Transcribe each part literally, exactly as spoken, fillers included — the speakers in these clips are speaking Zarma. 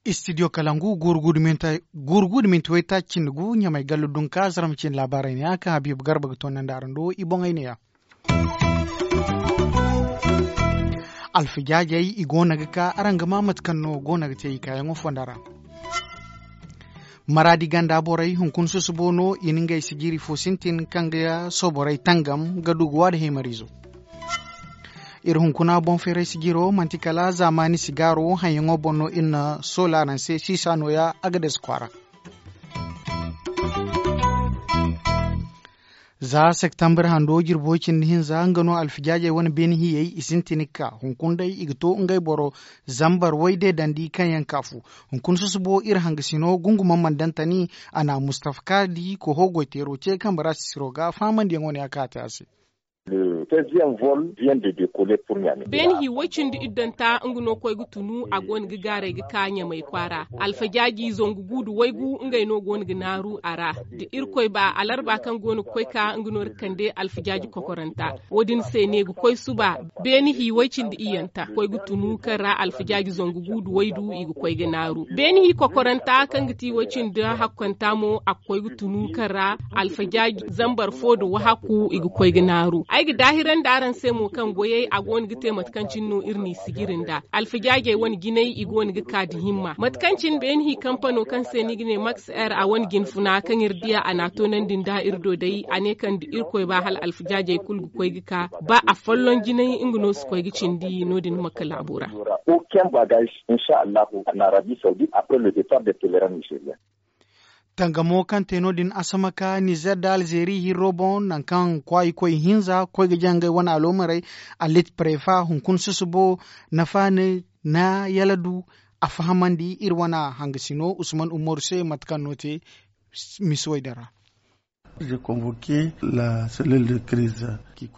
Istidiyo kalangu guuru guuru da minti waytaaci cindi gu ɲamay gallu dunka zarma cindi laabaarey ne ya kaŋ habiibu garba ga toonandi araŋ do i boŋey ne ya. Alfijaajey i go no ga ka araŋ ga maa mate kaŋ no go no ga te i kaayaŋo fonda ra. Maraadi ganda borey hunkuna susubo no i na ngey sijiri fo sintin kaŋ ga sooborey tangam ga du ga waada heemariizo. Iri hunkuna boŋ feeray sijiro manti kala zaamaani sigaaro haŋyaŋo boŋ no iri na soola araŋ se siisa nooya a ga deesa kwaara. Za septambur hando jirbi way cindi hinza nga no alfijaajey wane beene hiyey i sintin ga ka hunkuna day i ga to ngey boro zambar way deedandi kaŋ yaŋ kaafu. Hunkuna susubo iri hangasino gunguma mandantani a na mustafa kaadi koho goyteero ce kambe ra sisiro ga fahamandiyaŋo ne a kaate a se. Beene hi way cindi iddanta nga no koy ga tunu a go no ga gaaray ga ka ɲamay kwaara. Alfajaaji zangu gu nda waygu ngey no go no ga naaru a ra. Da irkoy ba alarba kaŋ go no ga koy ka nga no iri kande alfajaaji kokoranta. Wo- din se ne ga koy suba beene hi way cindi iyyanta koy ga tunu kaŋ ra alfajaaji zangu gu nda waydu i ga koy ga naaru beene hi kokoranta kaŋ ga ti way cindi hakkanta mo a ga koy ga tunu kaŋ ra alfajaaji zambar fo nda wahakku i ga koy ga naaru. Ay ga daahirandi araŋ se mo kaŋ goyey a go no ga te mate kaŋ cine no iri n'i sijiri nd'a. Alfajaajey wane jinay i go no ga ka nda himma mate kaŋ cine beene hi kampano kaŋ se ni ga ne max air a wane jinfuna kaŋ iri di a a n'a toonandi nd'a iri do day a ne kaŋ nda irkoy ba hala alfajaajey kulu ga koy ga ka ba afolloŋ jinay nga no si koy ga cindi no- din makka laabo ra. Tangamo kaŋ te no- din asamaka nizer nda alzeeri hirro boŋ nangu kaŋ kwaayi koy hinza koy ga jaŋ ngey wane aloomarey. Alit prefa hunkuna susubo nafa ne na yala du a fahamandi iri wane hangasino usman umaru se mate kaŋ no te misiwey din ra.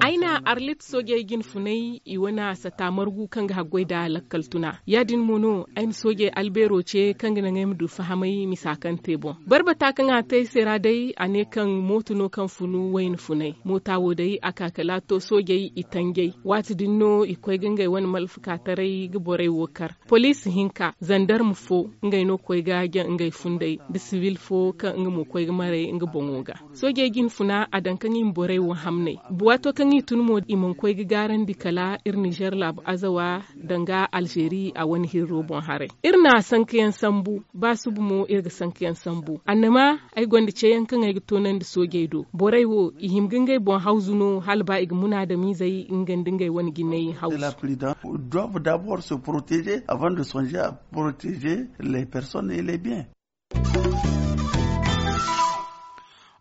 Ay na arlit soojey jinfunay i wane sata margu kaŋ ga haggoy nda lakkal tuna ya- din mo no ay na soojey albeero ce kaŋ ga naŋ ay ma du fahamay misa kaŋ te boŋ. Barbata kaŋ a te ay se ra day a ne kaŋ mooto no kaŋ funu wayna funay moota wo day a ka kala a to soojey i tanjay waati din no i koy ga ngey wane malfakaataray ga borey wo kar. Poliisi hinka zandarma fo ngey no koy ga jaŋ ngey funday nda sibil fo kaŋ nga mo koy ga maray nga boŋo ga. Soojey jinfuna a daŋ kaŋ i ma borey wo hamnay. Waato kaŋ i tun mo i mana koy ga gaarandi kala iri nizer laabu azawa danga alzeeri a wane hirro boŋ haray. Iri na sankayaŋ sambu ba suba mo iri ga sankayaŋ sambu annama ay gonda ceyaŋ kaŋ ay ga toonandi soojey do borey wo i hima ga ngey boŋ hawzu no hala ba i ga munaadamiizey nga nda ngey wane jinay hawzu.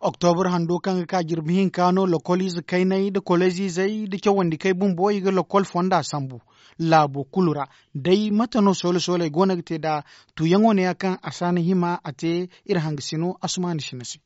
Oktobur hando kaŋ ga ka jirbi hinka no lokoliize kayney nda koleziizey nda cawandikey bumbo i ga lokol fonda sambu laabo kulu ra. Day mate no soole sooley go no ga te nd'a tuuyaŋo neeya kaŋ a si a na hima a te iri hangasino asumaani sina se.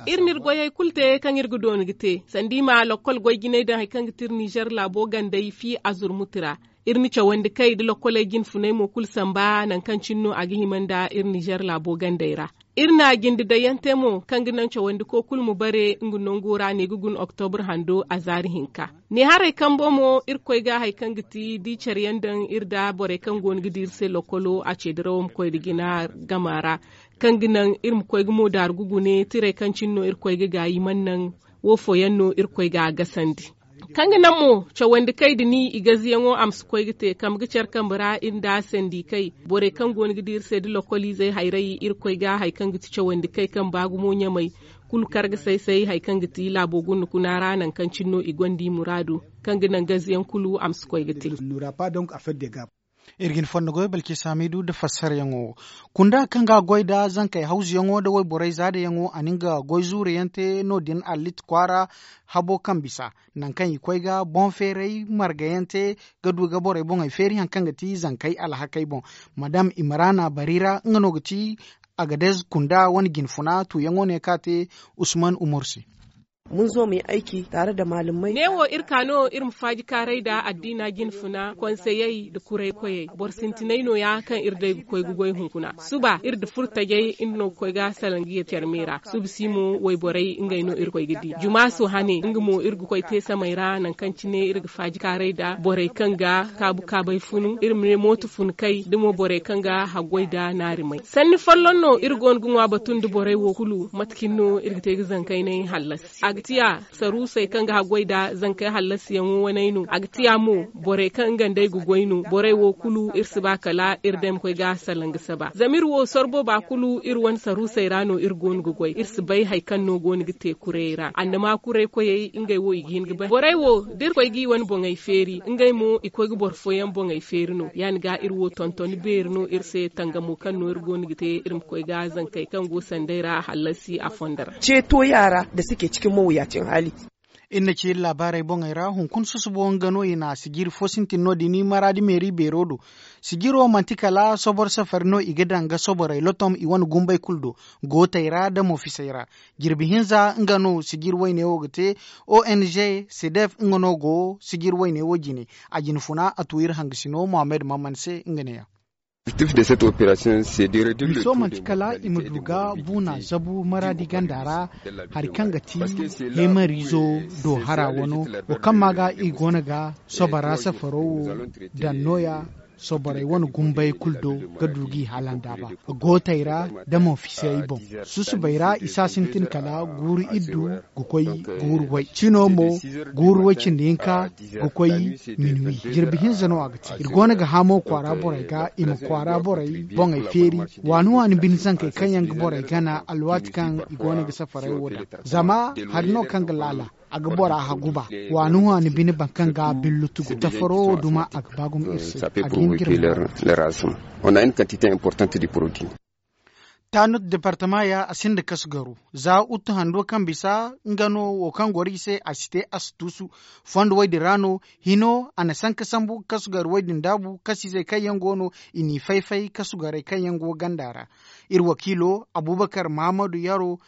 Iri n'iri goyey kulu te kaŋ iri ga dooni ga te sanda i ma lakkol goy jinay daŋ hari kaŋ ga ti iri nizer laabo gandey fi azurmuti ra. Iri na cawandi kay nda lakkoley jinfunay mo kulu samba nangu kaŋ cine no a ga hima nda iri nizer laabo gandey ra. Iri na jinde dayyante mo kaŋ ga naŋ cawandiko kulu ma bare nga nango ra ne ga guna oktobur hando a zaari hinka. Ne haray kambo mo iri koy ga hari kaŋ ga ti da i care yaŋ daŋ iri nda borey kaŋ go no ga di iri se lakkolo a ce dirawo ma koy nda jina gama ra. Kaŋ ga naŋ iri ma koy ga mo daaru ga gune tirey kaŋ cine no iri koy ga gaayi mana naŋ wo fooyaŋ no iri koy ga a gasandi. Kaŋ ga naŋ mo cawandi kay da ni i gaziyaŋo a ma si koy ga te kambe ga care kambe ra iri nda sandi kay borey kaŋ go no ga di iri se da lakkoliizey hayray iri koy ga hari kaŋ ga ti cawandi kay kaŋ ba gumo ɲamay kulu kar ga say-say hari kaŋ ga ti laabo gunda kuna ra nangu kaŋ cine no i gonda i muraadu. Kaŋ ga naŋ gaziyaŋ kulu a ma si koy ga te. Iri ga ni fondo goy balki saamidu nda fassarayaŋo wo. Kunda kaŋ ga a goy nda zankey hawzuyaŋo nda wayborey zaadayaŋo a na nga goy zuurayaŋ te no- din allit kwaara habo kaŋ bisa nangu kaŋ i koy ga boŋ feeray margayaŋ te ga du ga borey boŋey feeri hari kaŋ ga ti zankey alhakey boŋ. Madam imrana barira nga no ga ti agadez kunda wane jinfuna tuuyaŋo ne kaŋ a te usman umaru se. Neewo iri ka no iri ma faaji kaaray nda addiina jinfuna konseyey nda kuray koyey boro sintinay nooya kaŋ iri day ga koy ga goy hunkuna suba iri nda furtajey iri no ga koy ga salaŋ ga yee care me ra suba si mo wayborey ngey no iri ga koy ga di jumaasu hane nga mo iri ga koy te samey ra nangu kaŋ cine iri ga faaji kaaray nda borey kaŋ ga kaabu kaabay funu iri ma ne mooto funu kay da mo borey kaŋ ga haggoy nda naarimay sanni folloŋ no iri go no ga ŋwa batu nda borey wo kulu mate cine no iri ga te ga zankaynay hallasi a ga tiya saruusey kaŋ ga haggoy nda zankey hallasiyaŋo waney no a ga tiya mo borey kaŋ nga nd'ey ga goy no borey wo kulu iri si ba kala iri day ma koy ga salaŋ ga saba zama iri wo soro booba kulu iri wane saruusey ra no iri go no ga goy iri si bay hari kaŋ no go no ga te kurayey ra annama kuray koyey ngey wo i ga hin ga bay borey wo da iri koy g'i wane boŋey feeri ngey mo i koy ga boro fooyaŋ boŋey feeri no ya- din ga iri wo tonton beeri no iri se tangamo kaŋ no iri go no ga te iri ma koy ga zankey kaŋ go sanday ra hallasi a fondo ra. Ceeto yaara da suke cikin mawuyacin hali. Iri na ci iri laabaarey boŋey ra hunkuna susubo nga no i na sijiri fo sintin no- din maraadi meeri beero do. Sijiro manti kala soboro safari no i ga daŋ ga soborey lotom i wane gumbey kulu do. Gootey ra da mo fisey ra. Jirbi hinza nga no sijiri wayne wo ga te. Ong cdf nga no go sijiri wayne wo jine. A jinfuna a tu iri hangasino mohammed maman se nga ne- ya. Miso manti kala i ma du ga buuna zabu maraadi ganda ra hari kaŋ ga ti heemariizo do hara wano wo kaŋ ma ga i go no ga sobora safaro wo daŋ nooya soborey wane gumbey kulu do ga du g'i hala nd'a ba. Gootey ra da mo fisey boŋ susubey ra i si a sintin kala guuru iddu ga koy guuru way cino mo guuru way cindi hinka ga koy minuwi. Jirbi hinza no a ga te iri go no ga hamo kwaara borey ga i ma kwaara borey boŋey feeri waani waani bine zankey kaŋ yaŋ ga borey gana alwaati kaŋ i go no ga safaray wo daŋ. Zama hari no kaŋ ga laala a ga bora hagu ba waani waani bine boro kaŋ ga billu tugu safaro wo duma a ga ba gumo iri se. A ga hin ga iri ma taanut departama ya a sinda kasu garu za uttu hando kaŋ bisa nga no wo kaŋ goro i se a si te a si tuusu. Fondo woy din ra no hino a na sanka sambu kasu garu woy din daabu kasiizey kaŋ yaŋ go no i n'i fay-fay kasu garey kaŋ yaŋ go ganda ra. Iri wakiilo abubakar mahamadu yaro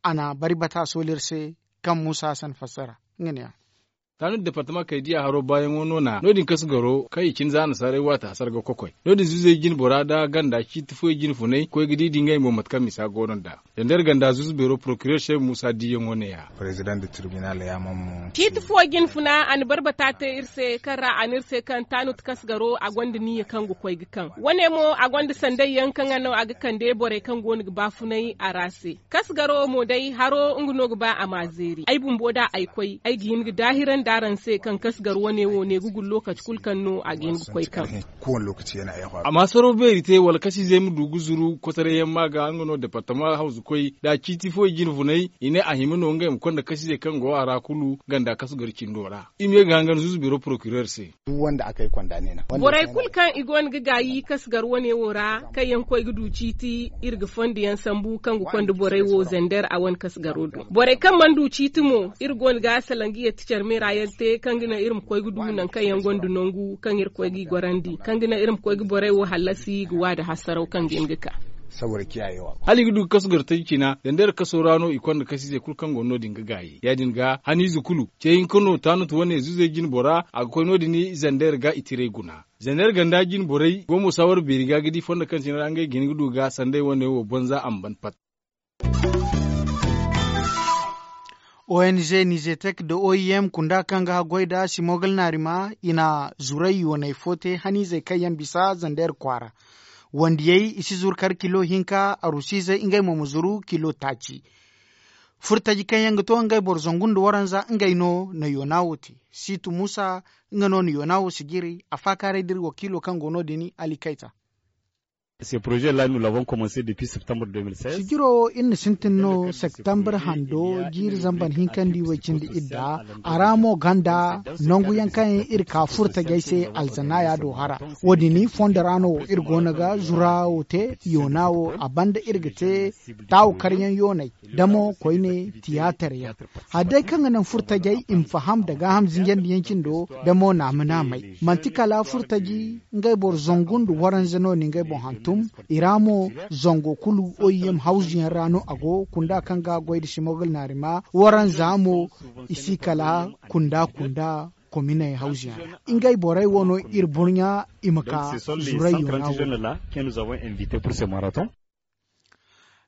a na bari bata sooliri se kaŋ muusa hasan fassara. Nga ne ya. Taanu departama kay diya haro baayaŋo no na no- din kasu garo kaŋ i cine za nasaarey waati hasara ga kokoy no- din zuzey jine bora nda ganda ciiti fooyaŋ jine funay koy ga di di ngey mo mate kaŋ misa go no nd'a. Zandar ganda zuzu beero porokirer se muusa diiyaŋo ne- ya. Ciiti fo jine funa a na barbata te iri se kaŋ ra a ne iri se kaŋ taanu ti kasu garo a gonda niyya kaŋ ga koy ga kaŋ wane mo a gonda sanday yaŋ kaŋ a no a ga kande borey kaŋ go no ga baafunay a ra se. Kasu garo mo day haro nga no ga ba a ma zeeri ay bumbo da ay koy ay ga hin ga daahirandi araŋ se kaŋ kasu gar wane wo ne ga gullo kati kulu kaŋ no a ga hin ga koy kaŋ. Amma saro beeri te wala kasiizey ma du ga zuru kotaray yaŋ ma ga nga no departama hawzu koy da ciiti fo i jine funay i ne a hima no ngey ma konda kasiizey kaŋ go a ra kulu ganda kasu gar cindo ra. I ma ye ga hangan zuzu biro porokirer se. Borey kulu kaŋ i go no ga gaayi kasu gar wane wo ra kaŋ yaŋ koy ga du ciiti iri ga fondo yaŋ sambu kaŋ ga konda borey wo zander a wane kasu garo do borey kaŋ mana du ciiti mo iri go no ga salaŋ ga yatti care meera yaŋ te kaŋ ga naŋ iri ma koy ga du nangu kaŋ yaŋ gonda nangu kaŋ iri koy ga i gorandi kaŋ ga naŋ iri ma koy ga borey wo hallasi ga waada hasaraw kaŋ ga hin ga ka. Hala i ga du ga kasu gar taji cina zander kaso ra no i konda kasiizey kulu kaŋ go no- din ga gaayi ya- din ga haniize kulu ce hinka no taanut wane zuzey jine bora a ga koy no- din zander ga i tiray guna. Zander ganda jine borey go mo saawar beeri ga ga di fondo kaŋ cine ra ngey ga hin ga du ga sanday wane wo banza a ma ban pat. Ong nizetek nda oim kunda kaŋ ga haggoy nda simogal naarima i na zuray yoonay fo te haniizey kaŋ yaŋ bisa zander kwaara. Wandiyey i si zuru kar kilo hinka arusiizey ngey mo ma zuru kilo taaci. Furtaji kaŋ yaŋ ga to ngey boro zangu nda waranza ngey no na yoona wo te. Siitu muusa nga no na yoona wo sijiri a faakaaray da iri wakiilo kaŋ go no- din ali kayta. Sijiro wo iri na sintin no septembre hando jiiri zambar hinkandi way cindi idda. A ra mo ganda nangu yaŋ kaŋ iri ka furtajey se alzanaya do hara. Wo- din fondo ra no iri go no ga zura wo te yoona wo a banda iri ga te taawu karyaŋ yooney da mo koyne tiyaatar yaŋ. Hari day kaŋ ga naŋ furtajey i ma faham nda gaaham zinjandi yaŋ cindo da mo naama naamey manti kala furtaji ngey boro zangu nda waranza no ni ngey boŋ hantum. I ra mo zango kulu oim hawzuyaŋ ra no a go kunda kaŋ ga goy nda simogol naarima waranza mo. I si kala kunda kunda kominey hawzuyaŋ ra ngey borey wo no iri burɲa i ma ka zurayyo ra wo.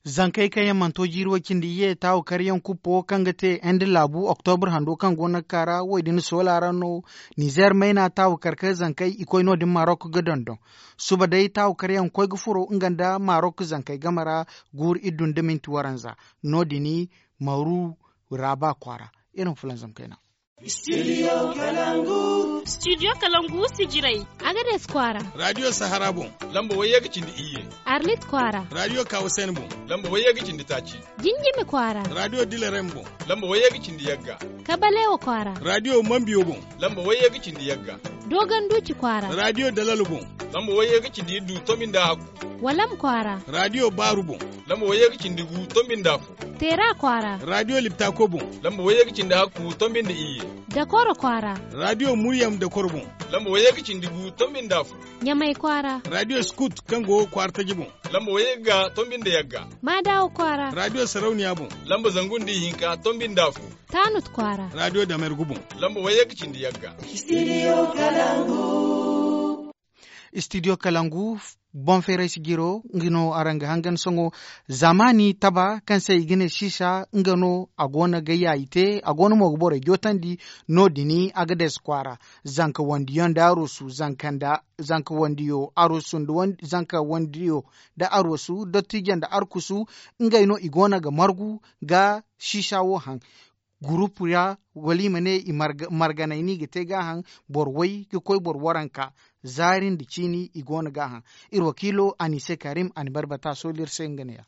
Zankey kaŋ yaŋ mana to jiiri way cindi iyye taawu karyaŋ kuppo kaŋ ga te inde laabu oktobur hando kaŋ go no ga kaara wo- din soola ra no. Nizeer mayna taawu kar ka zankey i koy no- din marok ga dondon. Suba day taawu karyaŋ koy ga furo nga nda marok zankey game ra. Guuru iddu nda minti waranza no- din maru raaba kwaara. Iri ma fulanzam kayna. Studio kalangu sijirey. Agades kwaara. Radio sahara boŋ. Lamba wayye ga cindi iyye. Arlit kwaara. Radio kawasen boŋ. Lamba wayye ga cindi taaci. Jinjimi kwaara. Radio dilerem boŋ. Lamba wayye ga cindi yagga. Kabalewa kwaara. Radio mambiyo boŋ. Lamba wayye ga cindi yagga. Dogon duci kwaara. Radio dalalo boŋ. Lamba wayye ga cindi iddu tombi nda hakku. Walam kwaara. Radio baaru boŋ. Lamba wayye ga cindi gu tombi nda afo. Teera kwaara. Radio liptako boŋ. Lamba wayye ga cindi hakku tombi nda iyye. Dakoro kwaara. Radio muryam dakoro boŋ. Lamba wayye ga cindi gu tombi nda afo. Ɲamay kwaara. Radio skut kaŋ go kwaara taji boŋ. Lamba wayye ga tombi nda yagga. Maadawo kwaara. Radio sarauniya boŋ. Lamba zangu nda ihinka tombi nda afo. Taanut kwaara. Radio damergu boŋ. Lamba wayye ga cindi yagga. Studio kalangu. Studio kalangu. Boŋ feeray sijiro nga no araŋ ga hangan sohõ. Zamaani taba kaŋ se i ga ne siisa nga no a go no ga yaayi te a go no mo ga borey jootandi. No- din agades kwaara. Zanka wandiyo nda arosu zanka wandiyo arosu nda zanka wandiyo nda arosu dottijo nda arkusu. Ngey no i go no ga margu ga siisa wo haŋ. Gurupu ra wala i ma ne i marganay no i ga te gaaham. Boro way ga koy boro waranka zaari nda ciini i go no gaaham. Iri wakiilo anise karim a na barbata sooli iri se nga ne- ya.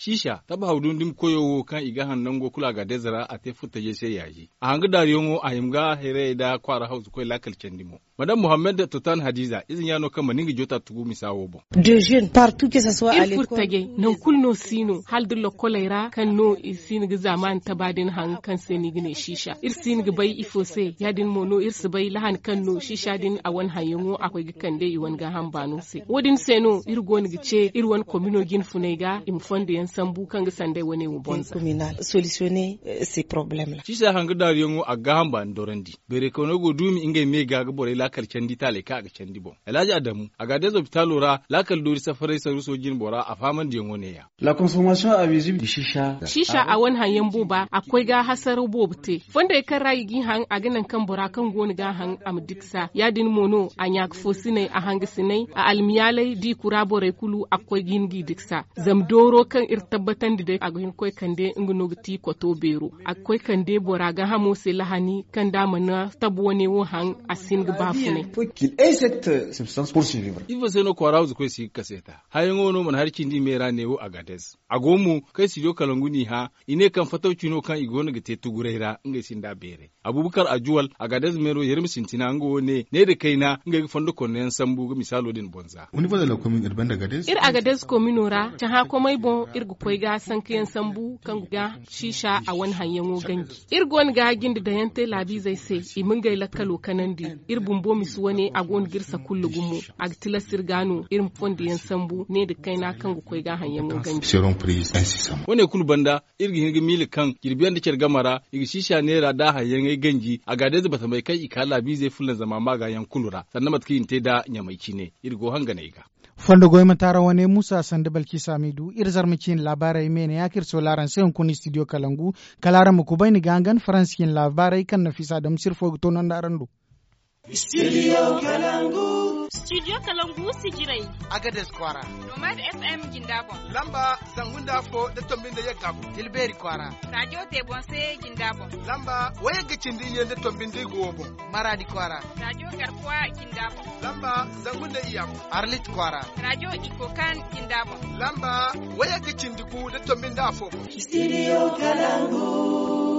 Siisa taba haw dundum koyo wo kaŋ i ga haŋ nango kulu a ga adez ra a te furtajey se yaaji a hanga daariyaŋo a hima ga hayrayey nda kwaara hawzu koy laakal candi mo. Madam muhammad totan hadiza ize ɲaano kaŋ mana nga joota tugu misa wo boŋ. Iri furtajey nangu kulu no si no hala da lokkoley ra kaŋ no i si no ga zaamaani taba din haŋ kaŋ se no i ga ne siisa iri si no ga bay ifo se ya- din mo no iri si bay lahan kaŋ no siisa din a wane haŋyaŋo a koy ga kande i wane gaaham baano se wo- din se no iri go no ga ce iri wane komino jinfuney ga i ma fondo yaŋ sambu kaŋ ga sanday wane wo bonza. Siisa hanga daaruyaŋo a ga gaaham baani dorandi. Beeray kawno go duumi ngey me ga ga borey laakal candi taaley kaŋ a ga candi boŋ alhaji adamu a ga a day zobitaalo ra laakal doori safaray saruuso jinbora a faamandiyaŋo ne- ya. Siisa a wane haŋyaŋ booba a ga koy ga hasaraw boobo te. Fondey kaŋ ra i g'i haŋ a ga naŋ kaŋ bora kaŋ go no ga a haŋ a ma diksa ya- din mo no a ɲaaka foosiney a hangasiney a almiyaaley da i kura borey kulu a ga koy ga hin g'i diksa. Zama dooro kaŋ iri tabbatandi day a ga hin ga koy kande nga no ga ti kwato beero. A ga koy kande bora gaahamo se lahani kaŋ da a mana tabu wane wo haŋ a si hin ga baafunay. Ifo se no kwaara hawzukoy si ga kaseeta hayaŋo no mana hari cindi me ra neewo agadez. A go mo kaŋ studio kalangu n'i hã i ne kaŋ fatawci no kaŋ i go no ga te tuguray ra ngey sinda beeray. Abubakar ajuwal agadez meero yerem sintina nga wo ne ne nda kayna ngey ga fondo konno yaŋ sambu ga misaalo din boŋ za. Iri agadez komino ra cahã komey boŋ iri ga koy ga sanka yaŋ sambu kaŋ ga siisa a wane haŋyaŋo ganji. Iri go no ga jinde daŋ yaŋ te laabiizey se i ma ngey lakkalo kanandi. Iri bumbo misi wane a go no ga iri sakulla gumo. A ga tilas iri ga no iri ma fondo yaŋ sambu ne nda kayna kaŋ ga koy ga haŋyaŋo ganji. Wane kulu banda iri ga hin ga miila kaŋ jirbi yaŋ nda care game ra i ga siisa neera da haŋyaŋey ganji a ga day za batamey kaŋ i ka laabiizey fulanzama maaga yaŋ kulu ra sanda mate kaŋ i na te nda ɲamay cine. Iri go hanganey ga. Fondo goy ma taara wane muusa sanda balki saamiidu iri zarma ciine laabaarey me ne ya kaŋ iri soola araŋ se hunkuna istidiyo kalangu. Kala araŋ ma kubay ni ga hangan faransi ciine laabaarey kaŋ nafiisa damsir fo ga toonandi araŋ do. Studio kalangu. Studio kalangu sijirey. Agades kwaara. Nomad fm jinda boŋ. Lamba zangu nda afo nda tombi nda yagga boŋ. Tilbeeri kwaara. Raajo te boŋ se jinda boŋ. Lamba wayagga cindi iyye nda tombi nda igo boŋ. Maraadi kwaara. Raajo garkuwa jinda boŋ. Lamba zangu nda iyya boŋ. Arlit kwaara. Raajo iko kan jinda boŋ. Lamba wayagga cindi gu nda tombi nda afo boŋ. Studio kalangu.